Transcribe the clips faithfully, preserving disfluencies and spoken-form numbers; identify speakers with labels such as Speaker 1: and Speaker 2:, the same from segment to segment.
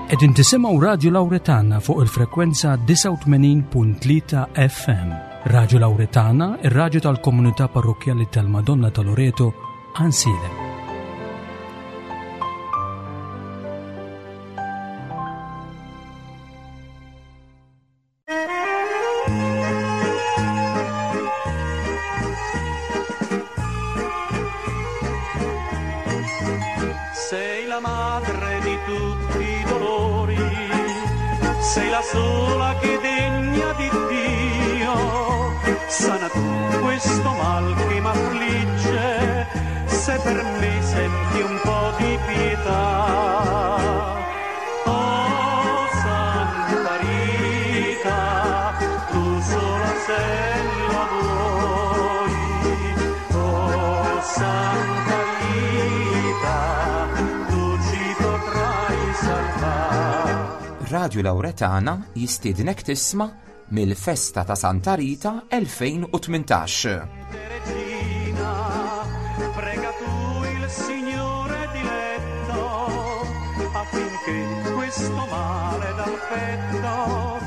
Speaker 1: Qegħdin tisimgħu Radio Lauretana fuq il-frekwenza disgħa u tmenin punt tlieta F M. Radio Lauretana, ir-radju tal-komunità parrokkjali tal-Madonna ta' Loreto, Għajnsielem.
Speaker 2: Sei la madre di tutti i dolori, sei la sola che degna di Dio. Sana tu questo mal che m'affligge, se per me senti un po' di pietà. Oh Santa Rita, tu sola se la vuoi. Oh Santa Rita, tu ci potrai salvare.
Speaker 3: Radio Lauretana jistiednek tisma' mill-festa ta' Santa Rita elfejn u tmintax.
Speaker 2: Regina, prega tu il Signore diletto affinché questo male dal petto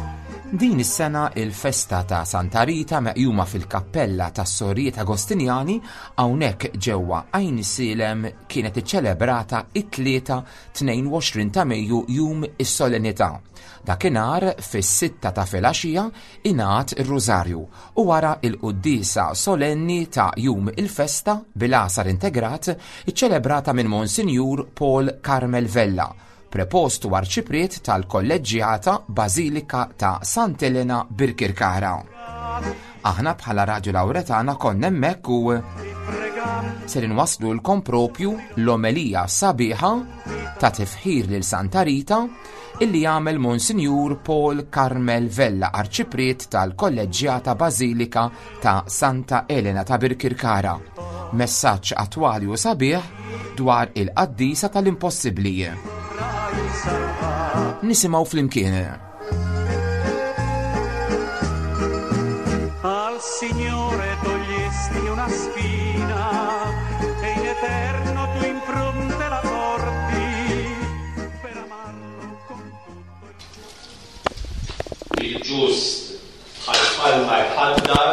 Speaker 3: Din is-sena il-festa ta' Santa Rita, meqjuma fil-kappella tas Sorijiet Agostinjani hawnhekk ġewwa Għajnsielem, kienet iċċelebrata it-Tlieta tnejn u għoxrin ta' Mejju, jum is-solennità. Dakinhar fis-sitta ta' filgħaxija ingħad ir-Rużarju u wara il-quddiesa solenni ta' jum il-festa bil-għasar integrat, iċċelebrata minn Monsinjur Paul Carmel Vella, prepostu arċipriet tal-Kolleġġjata Bażilika ta' Sant'Elena, Birkirkara. Aħna bħala Radio Lauretana konna hemmhekk u ser inwaslulkom propju l-omelija sabiħa ta' tifħir lil Santa Rita illi jagħmel Monsinjur Paul Carmel Vella, arċipriet tal-Kolleġġjata Bażilika ta' Santa Elena ta' Birkirkara. Messaġġ attwali u sabiħ dwar il-qaddisa tal-impossibbli. Nisimgħu flimkien.
Speaker 2: Al Signore togliesti una spina e in eterno tu impronte la porti per amarlo con tutto il
Speaker 4: Il-ġust bħal palma jħaddar,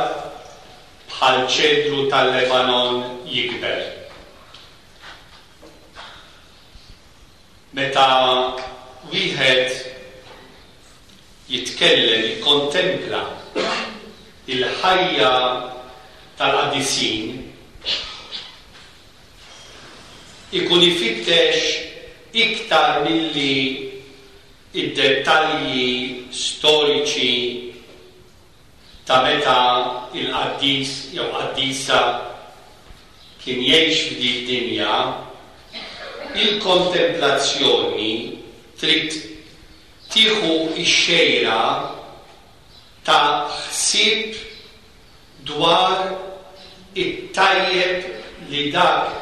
Speaker 4: bħal ċedru tal-Lebanon jikber. Meta wieħed jitkellem, jikkontempla il-ħajja tal-qaddisin, ikun ifittex iktar milli id-dettalji storiċi ta' meta il-qaddis jew qaddisa kien jgħix f'din dinja, il-kontemplazzjoni trid tieħu x-xejra ta' ħsieb dwar it-tajjeb li dak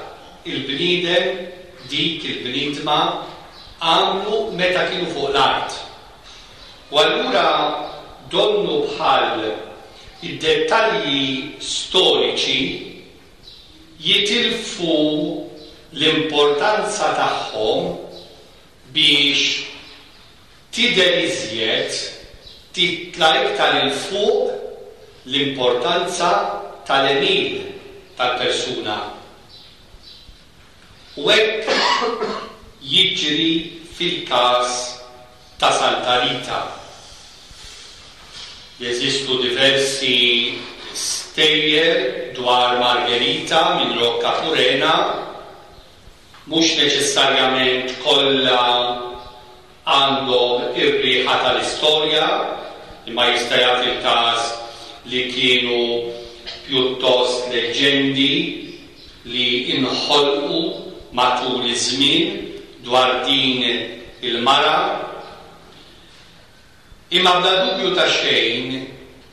Speaker 4: il-bniedem, dik il-bniedma għamlu meta kienu fuq l-art. U allura donnu bħal id-dettalji storiċi jitilfu l-importanza tagħhom biex tidher iżjed, titla' iktar 'il fuq l-importanza tal-għemil tal-persuna. U hekk jiġri fil-każ ta' Santa Rita. Jeżistu diversi stejjer dwar Margherita minn Rocca Furena, mhux neċessarjament kollha għandhom ir-riħa tal-istorja, imma jista' jagħti il-każ li kienu pjuttost leġendi li inħolqu matul iż-żmien dwar din il-mara. Imma bla dubju ta' xejn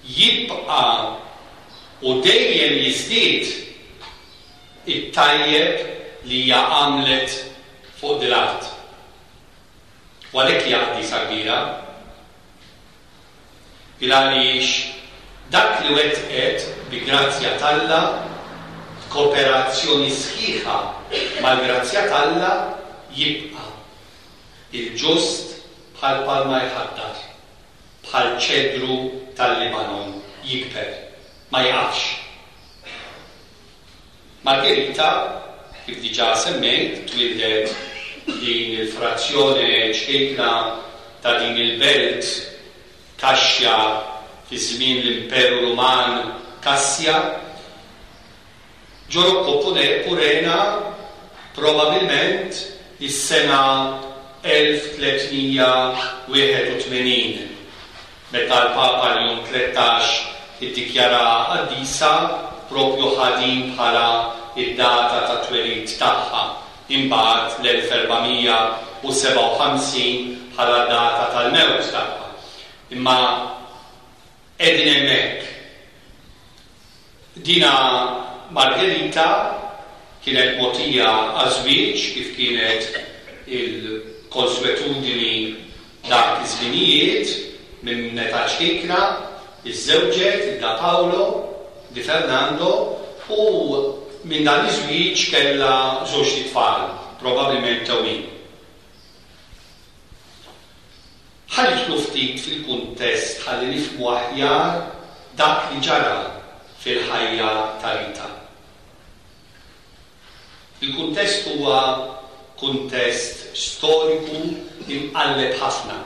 Speaker 4: jibqa' u dejjem jiżdied it-tajjeb li hija għamlet fuq din l-art. U għalhekk hija qaddisa kbira. Il għaliex dak li wettqet bi grazzja t'Alla, kooperazzjoni sħiħa mal-grazzja t'Alla, jibqa'. Il-ġust bħal palma jħaddar, bħal ċedru tal-Libanon jikber, ma jaqafx. Margherita, kif diġà semmejt, twieldet din il-frazzjoni ċkejkna ta' din il-belt Kaxxa fi żmien l-Imperu Ruman Kassja, ġo Rocco Purena probabilment is-sena elf tliet mija wieħed u tmenin, meta l-Papa Leon tlettax iddikjara qaddisa propju ħadin bħala id-data ta' twelid tagħha, imbagħad l-elf erba' mija u sebgħa u ħamsin bħala data tal-mewt tagħha. Imma qegħdin hemmhekk. Dina Margherita kienet mogħtija għaż-żwieġ kif kienet il-konswetudini dak iż-żminijiet minn meta ċkejkna, iżżewġet da Paolo di Fernando u minn dan iż-żwieġ kellha żewġ tfal, probabbilment tewmin. Ħa nidħlu ftit fil-kuntest ħalli nifhmu aħjar dak li ġara fil-ħajja ta' Rita. Il-kuntest huwa kuntest storiku imqalleb ħafna.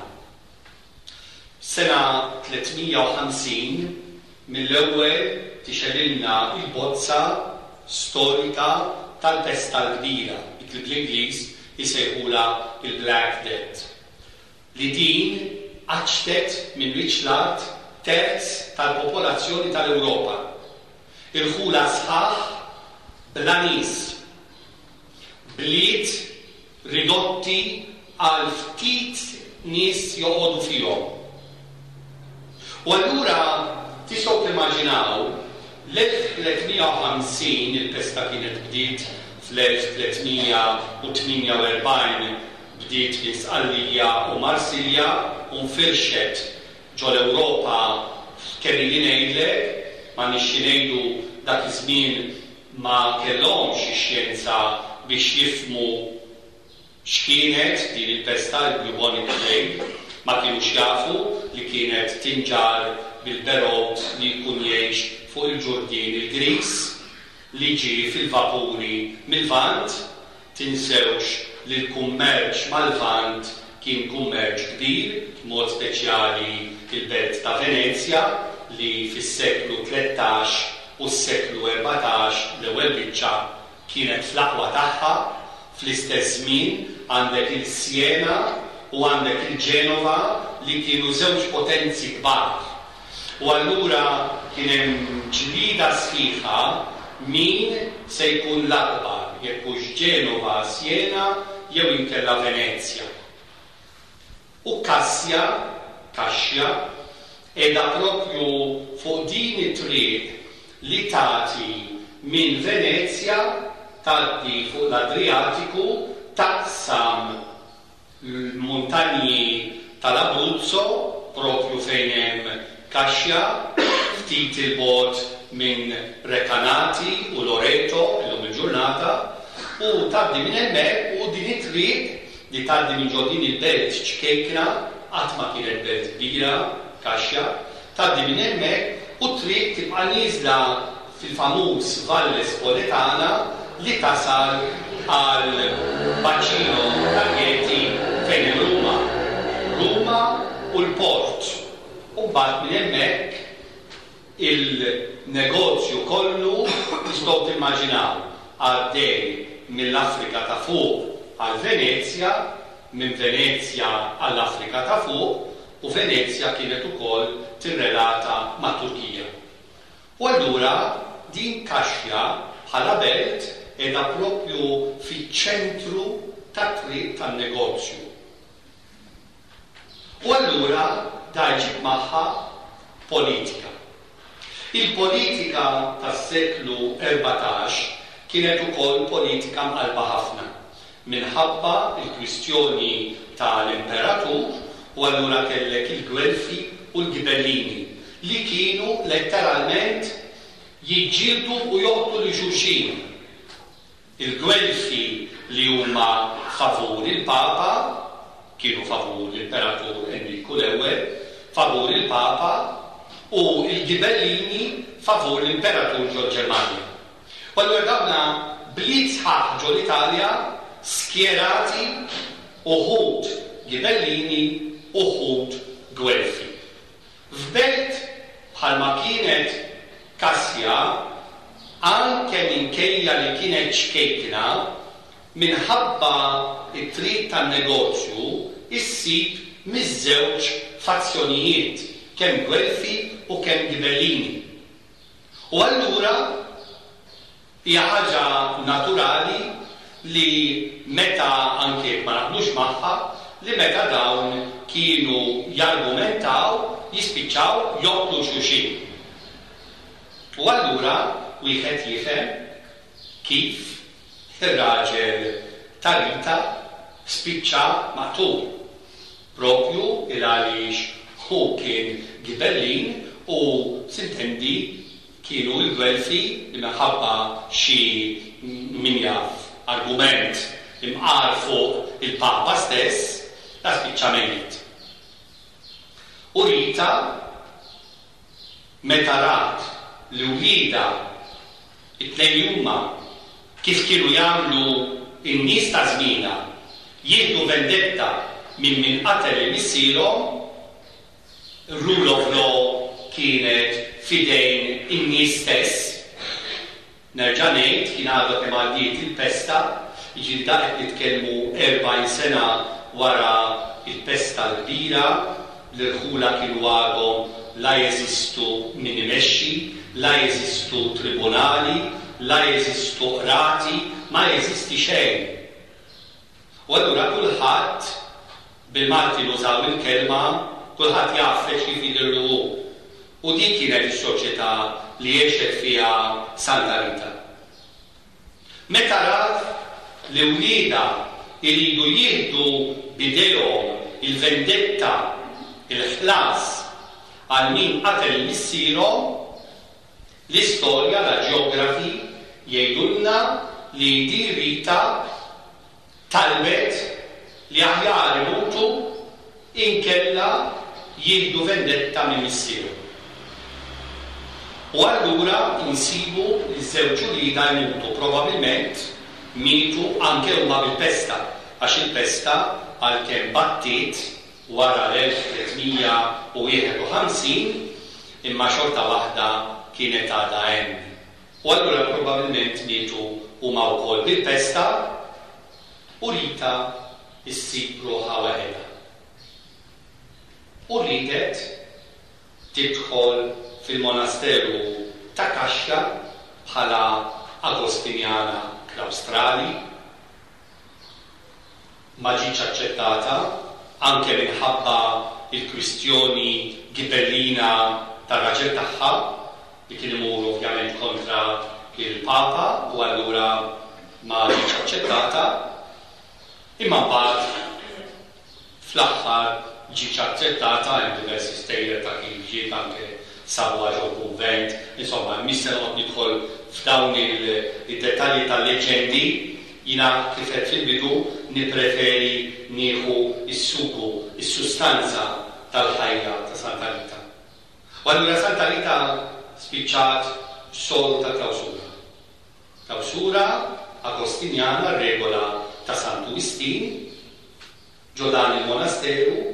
Speaker 4: Sena tliet mija u ħamsin mill-ewwel tixgħelilna il-bozza storika tal-pesta l-kbira, dik li bl-Ingliż isejħula il-Black Death, li din qaċtet minn wiċċ l-art terz tal-popolazzjoni tal-Ewropa. Irħula sħaħ bla nies, bliet ridotti għal ftit nies joqogħdu fihom. U allura tistgħu timmaġinaw l-elf tliet mija u ħamsin, il-pesta kienet bdiet fl-elf tliet mija u tmienja u erbgħin, bdiet minn Sqallija u Marsilja u nfirxet ġol-Ewropa kemm ili ngħidlek, ma nixxi ngħidu dak iż-żmien ma kellhomx ix-xjenza biex jifhmu x'kienet din il-pesta, il-bubonic plague, ma kienux jafu li kienet tinġar bil-berot li jkun jgħix fuq il-ġurdien il-Gris li ġie fil-vapuri mill-Lvant. Tinsewx li l-kummerċ mal-Lvant kien kummerċ kbir, mod speċjali il-belt ta' Venezja li fis-seklu tlettax u s-seklu erbatax l-ewwel biċċa kienet fl-aqwa tagħha. Fl-istess żmien għandek il-Siena u għandek il-Ġenova li kienu żewġ potenzi kbar. U allura kien hemm ġlida sħiħa min se jkun l-akbar, jekk hux Ġenova, Siena jew inkella Venezja. U Kassja, Kaxxa, qiegħda propju fuq din it-triq li tagħti minn Venezja, tgħaddi fuq l-Adriatiku, taqsam l-muntanji tal-Abruzzo, propju fejn hemm Kaxxa, ftit il-bogħod minn Recanati u Loreto illum il-ġurnata, u tgħaddi minn hemmhekk, u din it-triq li tgħaddi minn ġo din il-belt ċkejkna, qatt ma kienet belt kbira, Kaxxa, tgħaddi minn hemmhekk u t-triq tibqa' nieżla fil-famuż Valle Spoletana li tasal għal Bacino ta' Chieti fejn hemm Ruma. Ruma u l-port. U mbagħad minn hemmhekk il-negozju kollu tistgħu timmaġinaw għaddej mill-Afrika ta' fuq għal Venezja, minn Venezja għall-Afrika ta' fuq, u Venezja kienet ukoll tirrelata ma' Turkija. U allura din Kaxxa bħala belt qiegħda propju fiċ-ċentru tat-triq tan-negozju. U allura da jġib magħha politika. Il-politika tas-seklu erbatax kienet ukoll politika mqalba ħafna minħabba il-kwistjoni tal-imperatur, u allura kellek il-Gwelfi u l-Gibellini li kienu letteralment jiġġieldu u joqtlu lil xulxin. Il-Gwelfi li huma favur il-Papa kienu favur l-Imperatur Enriku l-Ewwel, favur il-Papa, u il-Gibellini favur l-Imperatur ġol-Ġermanja. U allura dawna bliet sħaħ ġol-Italja skjerati uħud Gibellini, uħud Gwelfi. F'belt bħalma kienet Kassja, anke minkejja li kienet ċkejkna, minħabba it-triq tan-negozju issib miż-żewġ fazzjonijiet, kemm Gwelfi u kemm Gibellini. U allura hija ħaġa naturali li meta anke ma naqblux magħha, li meta dawn kienu jargumentaw jispiċċaw joqtlu xulxin. U allura wieħed jifhem kif ir-raġel ta' Rita spiċċa maqtul, propju il għaliex hu kien Gibellin u sintendi kienu l-Gwelfi li minħabba xi min jaf argument imqar fuq il-Papa stess, la spiċċa mejjet. U Rita meta rat li wliedha it-tnejn huma kif kienu jagħmlu n-nies ta' żmienha jieħdu vendetta minn min qatel lil missierhom, rule of law kienet fidejn in-nies stess. Nerġa' ngħid kien għadha kemm għaddiet il-pesta, jiġifieri da qed nitkellmu erbgħin sena wara il-pesta l-kbira, l-irħula kienu għadhom la jeżistu min imexxi, la jeżistu tribunali, la jeżistu qrati, ma jeżisti xejn. U allura kulħadd, bil-Malti nużaw il-kelma, kulħadd jaf kif jidhirlu hu. U dik kienet is-soċjetà li għexet fiha Santa Rita. Meta rat li wliedha iridu jieħdu b'idejhom il-vendetta, il-ħlas għal min qatel missierhom, l-istorja, la ġeografi jgħidulna li di Rita talbet li aħjar imutu inkella jieħdu vendetta minn missierhom. U allura insibu li ż-żewġ uliedha jmutu, probabilment mietu anke huma bil-pesta, għax il-pesta għalkemm battiet wara l-elf tlietmija u wieħed u ħamsin, imma xorta waħda kienet għadha hemm. U allura probabilment mietu huma wkoll bil-pesta, u Rita issib ruħha waħedha. U riedet tidħol fil-monasteru ta' Kaxxa bħala Agostinjana klawstrali, ma ġietx aċċettata anke minħabba il-kwistjoni gibellina tar-raġel tagħha li kien imur ovvjament kontra il-Papa, u allura ma ġietx aċċettata. Imma mbagħad fl-aħħar ġietx aċċettata, hemm diversi stejjer ta' kif ġiet anke sabuha ġo kunvent, insomma, mhix se noqgħod nidħol f'dawn il-dettalji tal-leġendi. Jiena kif qed fil-bidu nippreferi nieħu s-sugu, is-sustanza tal-ħajja ta' Santa Rita. U allura Santa Rita spiċċat sol ta' klawsura. Klawsura agostinjana, regola ta' Santu Wistin, ġo dan il-monasteru,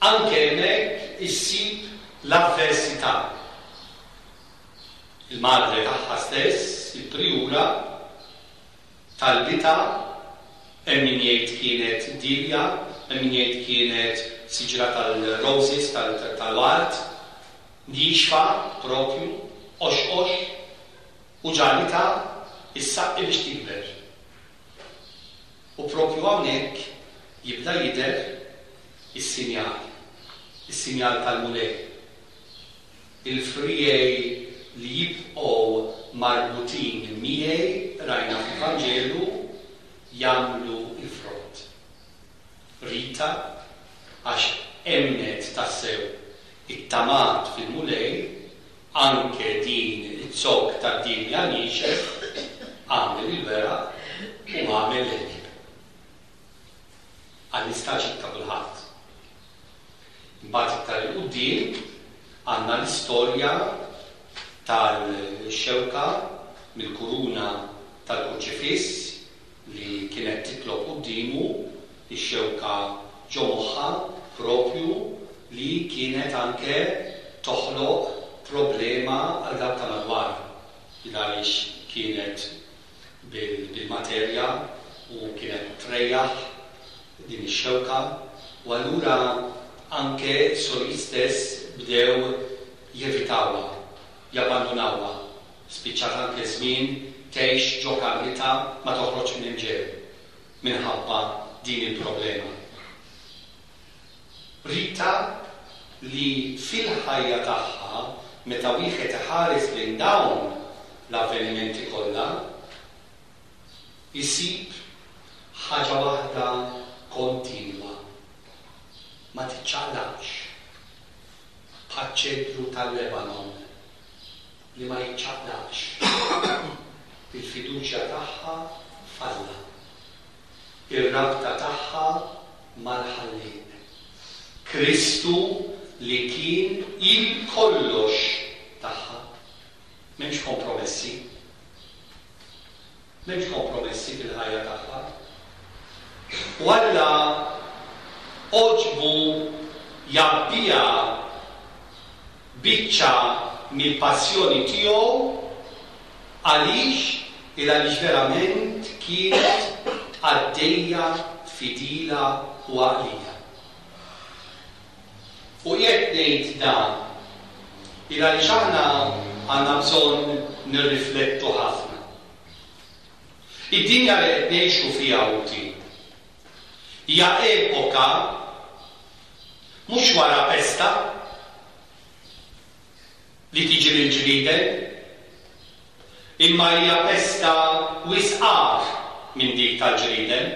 Speaker 4: anke hemmhekk issib l-avversità. Il-madre tagħha stess, il-priura, talbita, hemm min jgħid kienet dilja, hemm min jgħid kienet siġra tal-roses, tal-ward, nixfa propju, ox-ox, u ġalita is-saqqi biex tikber. U propju hawnhekk jibda jidher is-sinjal, is-sinjal tal-Mulej. Il-frijej li jibqgħu marbutin miegħi, rajna fil-Vanġelu, jagħmlu l-frott. Rita, għax emnet tassew it-tamat fil-Mulej, anke din it-zokk tad-dinja niexef, għamel il-weraq u għamel l-ħbieb. Għall-istaġib ta' kulħadd. Imbagħad iktar 'il quddiem għandna l-istorja tal-xewka mill-kuruna tal-Kurċifiss li kienet titlob quddiemu, ix-xewka ġo moħħha propju, li kienet anke toħloq problema għal dawk ta' madwarha, għaliex kienet bil-materja u kienet trejjaħ din ix-xewka, u allura anke sorijiet stess bdew jevitawha, jabbandunawha. Spiċċat anke żmien tgħix ġo kamritha, ma toħroġ minn hemm ġew minħabba din il-problema. Rita li fil-ħajja tagħha, meta wieħed iħares lejn dawn l-avvenimenti kollha, isib ħaġa waħda kontinwa, ma tiċċaqlaqx, bħaċ-ċedru tal-Lebanon li ma jiċċaqlaqx. Il-fiduċja tagħha f'Alla, ir-rabta tagħha mal-Ħallieq, Kristu li kien il-kollox tagħha. M'hemmx kompromessi. M'hemmx kompromessi fil-ħajja tagħha. U Alla għoġbu jgħabbiha biċċa mill-passjoni tiegħu. Għaliex? Il għaliex verament kienet għaddejja fidila u għaqlija. U jekk ngħid dan, il għaliex aħna għandna bżonn nirriflettu ħafna. Id-dinja li qed ngħixu fiha, ħuti, hija epoka mhux wara pesta li tiġi mill-ġrieden, imma hija pesta wisq agħar minn dik tal-ġrieden.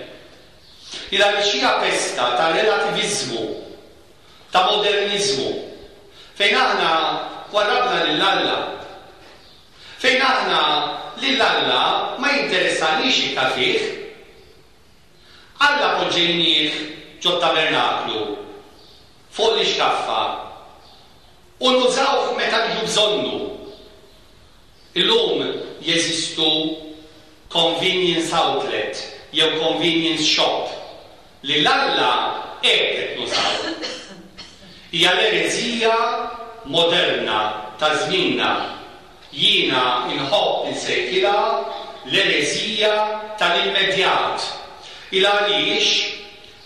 Speaker 4: Il għaliex hija pesta ta' relativiżmu, ta' moderniżmu, fejn aħna warrabna lil Alla, fejn aħna lil Alla ma jinteressanix iktar fih. Alla poġġejnieh ġo tabernaklu fuq l-ixkaffa u nużawh meta niġu bżonnu. Illum jeżistu convenience outlet jew convenience shop li l-Alla hekk qed nużaw. Hija l-ereżija moderna ta' żmienna. Jiena inħobb insejħilha l-ereżija tal-immedjat. Il għaliex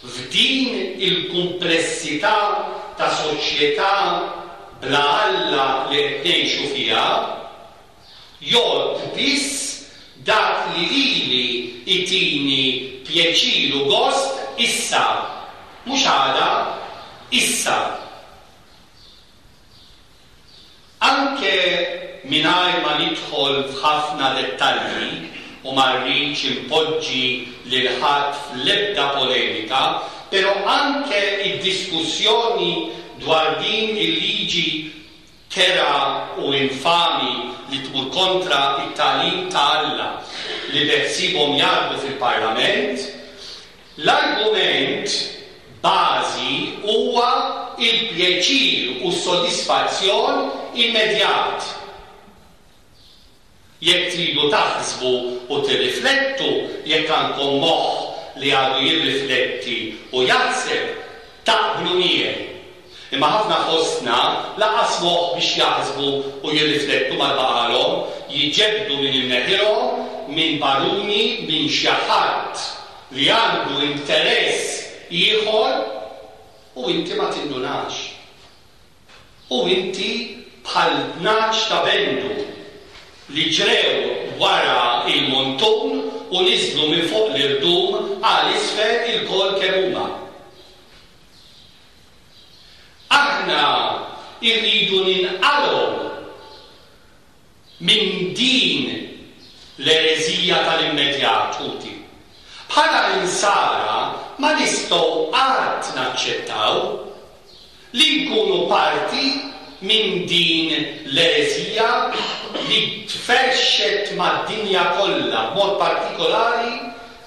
Speaker 4: f'din il-kumplessità ta' soċjetà bla Alla li qed ngħixu fiha, jgħodd biss dak li lili itini pjaċir u gost issa, mhux għada, issa. Anke mingħajr ma nidħol f'ħafna dettalji u ma rridx impoġġi lil ħadd fl-ebda polemika, però anke id-diskussjoni dwar din il-liġi kerha u infami li tmur kontra it-tagħlim ta' Alla li beħsiebhom jgħaddu fil-Parlament, l-argument bażi huwa il-pjaċir u s-sodisfazzjon immedjat. Jekk tridu taħsbu u tirriflettu, jekk għandkom moħħ li għadu jirrifletti u jaħseb, taqblu miegħi. Imma ħafna fostna lanqas moħħ biex jaħsbu u jirriflettu ma baqalhom, jiġġebdu minn imneħirhom, minn baruni, minn xi ħadd li għandu interess ieħor u inti ma tindunax. U inti bħal tnax ta' bendu li ġrew wara il-montun u niżlu minn fuq l-irdum għal isfel ilkoll kemm huma. Aħna irridu ninqalgħu minn din l-ereżija tal-immedjat, ħuti. Bħala insara ma nistgħu qatt naċċettaw li nkunu parti minn din l-ereżija li tferxet mad-dinja kollha, b'mod partikolari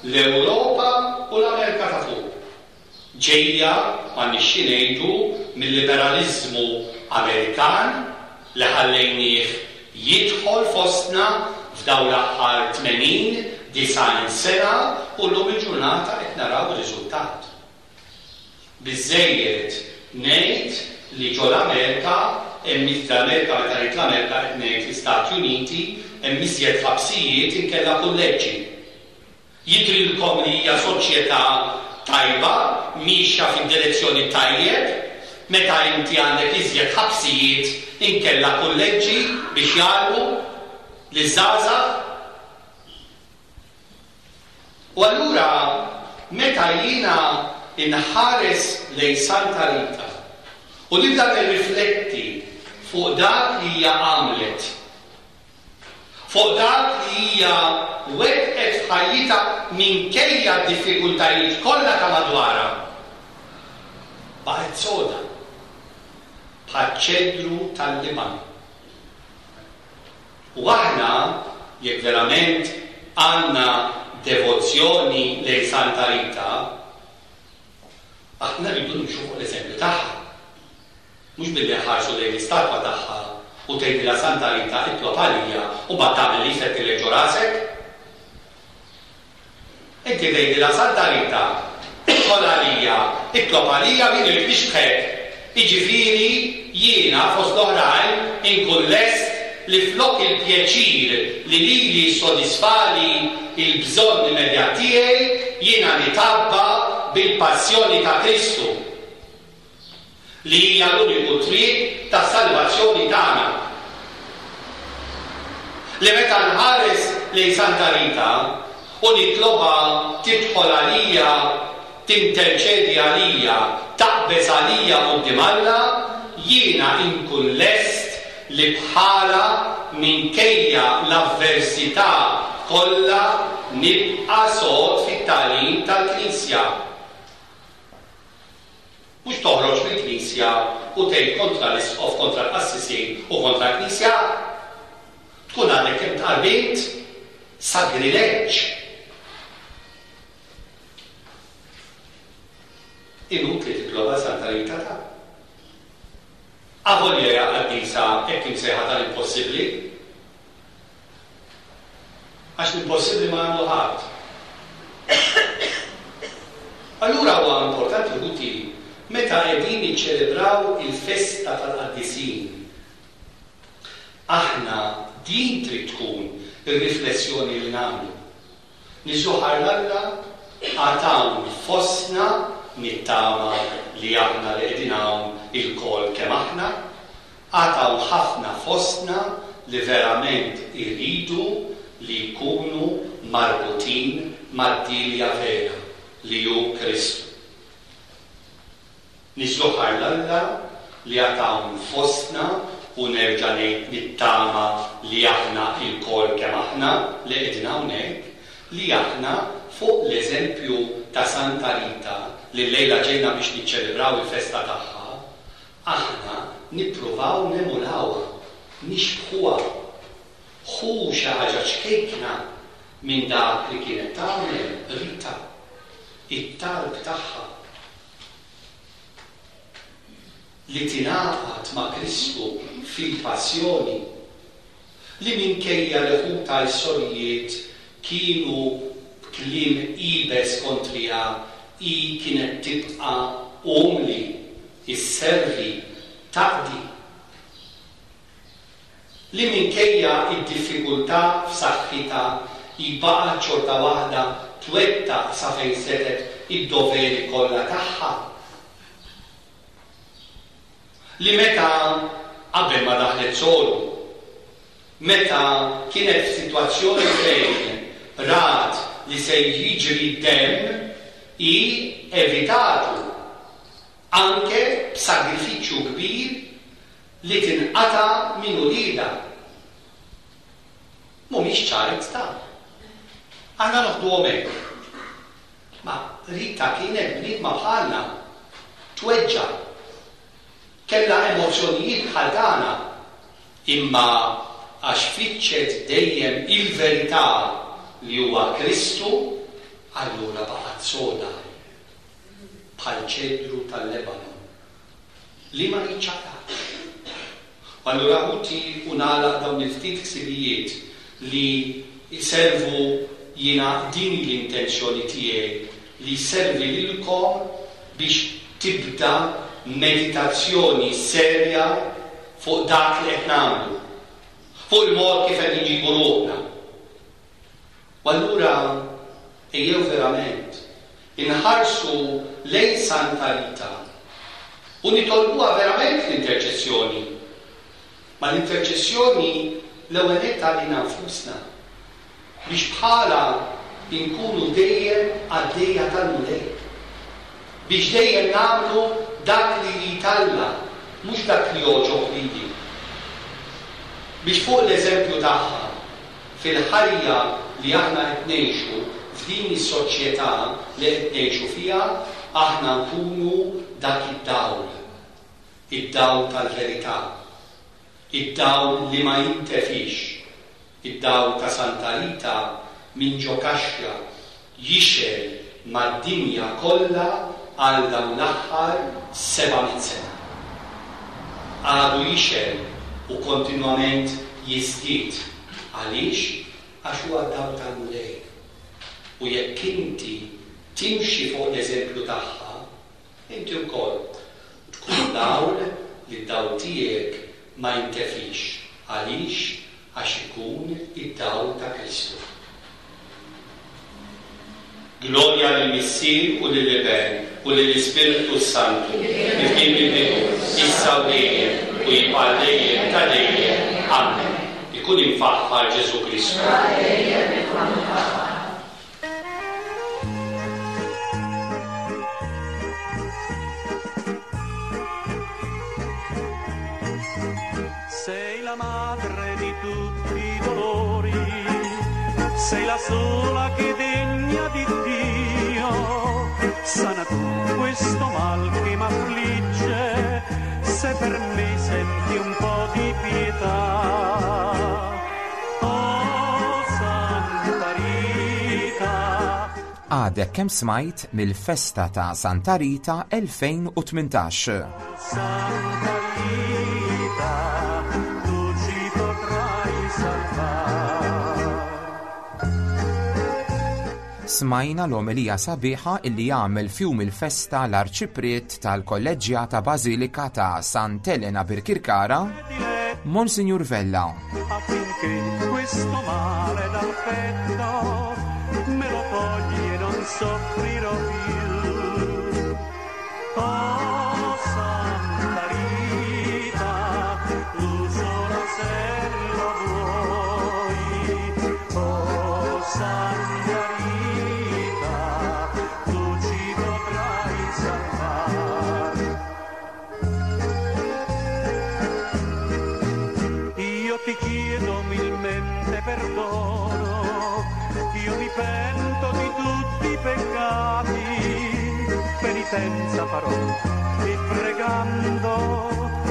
Speaker 4: l-Ewropa u l-Amerika ta' fuq. Ġejja, m'għandniex xi ngħidu, mill-liberaliżmu Amerikan li ħallejnieh jidħol fostna f'dawn l-aħħar tmenin, disgħin sena u llum il-ġurnata qed naraw ir-riżultat. Biżżejjed ngħid li ġo l-Amerika, hemm l-Amerika, meta ngħid l-Amerika qed ngħid l-Istati Uniti, hemm iżjed ħabsijiet inkella kulleġġi. Jidhrilkom li hija soċjetà tajba, mixja fid-direzzjoni tajjeb, meta inti għandek iżjed ħabsijiet inkella kulleġġi biex jgħallmu liż-żgħażagħ? U allura meta jiena inħares lejn Santa Rita u nibda nirrifletti fuq dak li hija għamlet, fuq dak li hija wettqet f'ħajjitha minkejja d-diffikultajiet kollha ta' madwarha, baqgħet soda bħaċ-ċedru tal-Libanu. U aħna, jekk verament għandna devozzjoni lejn Santa Rita, aħna rridu nimxu fuq l-eżempju tagħha. Mhux billi nħarsu lejn l-istatwa tagħha u tgħidilha Santa Rita itlob għalija u mbagħad tagħmel li jfettilek ġo rasek. Inti tgħidilha Santa Rita idħol għalija, itlob għalija min irid nixbħek. Jiġifieri jiena fost l-oħrajn inkun lest li flok il-pjaċir li lili jissodisfali il-bżonn immedjat tiegħi, jiena nitabba bil-passjoni ta' Kristu, li hija l-uniku triq ta' salvazzjoni tagħna. Li meta nħares lejn Santa Rita u nitlobha tidħol għalija, tinterċedi għalija, taqbeż għalija quddiem Alla, jiena inkun lest li bħala minkejja l-avversità kollha nibqa' sod fit-tagħlim tal-Knisja. Mhux toħroġ mill-Knisja u tgħid kontra l-Isqof, kontra l-qassisin u kontra l-Knisja. Tkun għadek kemm tqarbint sagrileġġ. Inutli titlobha Santa Rita ta' avolja hija qaddisa hekk imsejħa tal-impossibbli. Għax l-impossibbli ma għandu ħadd. Allura huwa importanti ħuti meta qegħdin niċċelebraw il-festa tal-qaddisin. Aħna din trid tkun ir-riflessjoni li nagħmlu. Niżuħar l-Alla għad hawn fostna, nittama li aħna li qegħdin hawn ilkoll kemm aħna, għad hawn ħafna fostna li verament iridu li jkunu marbutin mad-dilja vera li hu Kristu. Niżuħar l-Alla li għad hawn fostna u nerġa' ngħid nittama li aħna ilkoll kemm aħna li qegħdin hawnhekk, li aħna fuq l-eżempju ta' Santa Rita li llejla ġejna biex niċċelebraw il-festa tagħha, aħna nippruvaw nemulawha, nixbħuha. Ħu xi ħaġa ċkejkna minn dak li kienet tagħmel Rita, it-talb tagħha li tingħaqad ma' Kristu fil-passjoni, li minkejja li ħuta l-sorijiet kienu b'kliem iebes kontriha, hi kienet tibqa' umli, isservi, taqdi. Li minkejja id-diffikultà f'saħħitha hi baqgħet xorta waħda twettaq sa fejn setgħet id-doveri kollha tagħha. Li meta qabel ma daħlet solu, meta kienet f'sitwazzjoni fejn rat li se jiġri d-demm, hi evitatu anke b'sagrifiċċju kbir li tinqata' minn uliedha. Mhumiex ċajt ta' aħna noħduhom hekk. Ma Rita kienet bniedma bħalna, tweġġa', kellha emozzjonijiet bħal tagħna, imma għax fittxet dejjem il-verità li huwa Kristu, allura baqgħet soda. bħal ċedru tal-Lebanon li ma jiċċaqlaqx. Allura ħuti u nagħlaq dawn il-ftit ħsibijiet li jservu jiena din l-intenzjoni tiegħi li jservi lilkom biex tibda meditazzjoni serja fuq dak li qed nagħmlu, fuq il-mod kif qed inġibu ruħna. U allura ejjew verament inħarsu lejn Santa Rita u nitolbuha verament l-interċessjoni. Ma l-interċessjoni l-ewwel nett għalina nfusna biex bħala inkunu dejjem għaddejja tal-Mulej, biex dejjem nagħmlu dak li jrid Alla, mhux dak li jogħġob lili. Biex fuq l-eżempju tagħha fil-ħajja li aħna qed ngħixu f'din is-soċjetà li qed ngħixu fiha, aħna nkunu dak id-dawl, id-dawl tal-verità, id-dawl li ma jintefix, id-dawl ta' Santa Rita minn ġo kaxxa jixgħel mad-dinja kollha għal dawn l-aħħar seba' mitt sena. Għadu jixgħel u kontinwament jiżdied. Għaliex? Għax huwa d-dawl tal-Mulej. U jekk inti timxi fuq l-eżempju tagħha, inti wkoll tkun dawl li d-dawl tiegħek ma jintefix. Għaliex? Għax ikun id-dawl ta' Kristu. Glorja lill-Missier u lill-Iben u lill-Ispirtu Santu, kif kien fil-bidu, issa u dejjem, u jibqa' dejjem ta' dejjem. Amen. Ikun imfaħħar Ġesù Kristu.
Speaker 2: Sei la madre di tutti i dolori, sei la sola che degna di Dio, sana tu questo mal che m'affligge, se per me senti un po' di pietà. Oh Santa Rita.
Speaker 3: Għadek kemm smajt mill-festa ta' Santa Rita elfejn u tmintax.
Speaker 2: Santa Rita, tu ci potrai salvare.
Speaker 3: Smajna l-omelija sabiħa illi jagħmel fjum il-festa l-Arċipriet tal-Kolleġġjata Bażilika ta' Sant'Elena Birkirkara, Monsignor Vella.
Speaker 2: Affinché questo male dal petto me lo togli e non soffrirò più. Oh Santa Rita, tu sola se lo vuoi. Oh Santa Rita, tu ci potrai salvare. Io ti chiedo umilmente perdono, io mi pento di tutti i peccati, penitenza farò e pregando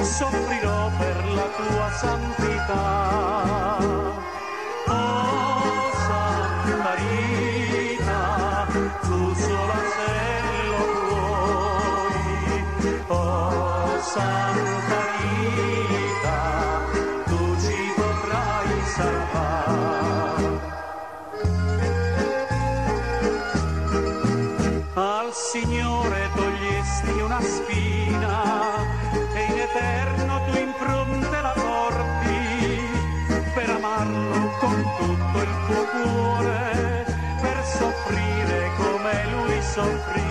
Speaker 2: soffrirò per la tua santità. Oh Santa Rita, tu sola se lo vuoi. Oh Santa Rita, tu ci potrai salvare. Al Signore togliesti una spina e in eterno tu impronte la porti, per amarlo con tutto il tuo cuore, per soffrire come lui soffrì.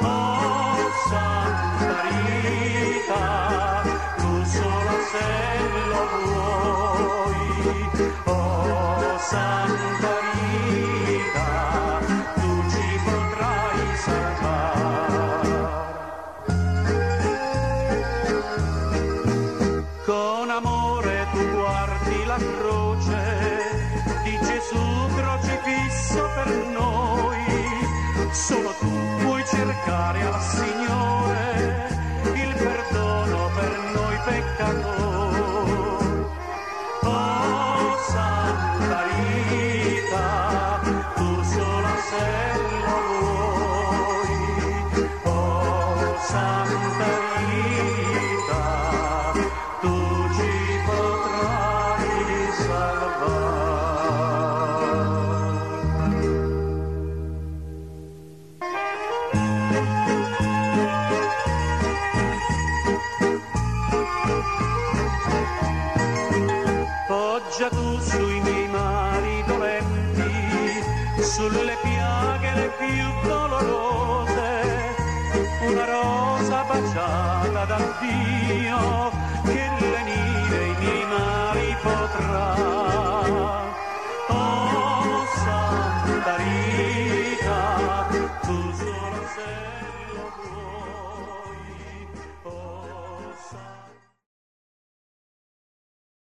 Speaker 2: Oh Santa Rita, tu sola se lo vuoi. Oh Santa Rita, tu ci potrai salvare. Con amore tu guardi la croce di Gesù crocifisso per noi. Solo tu puoi cercare al Signore il perdono per noi peccatori. Oh Santa Rita, tu sola se lo vuoi. Sulle piaghe le più dolorose, una rosa baciata da Dio.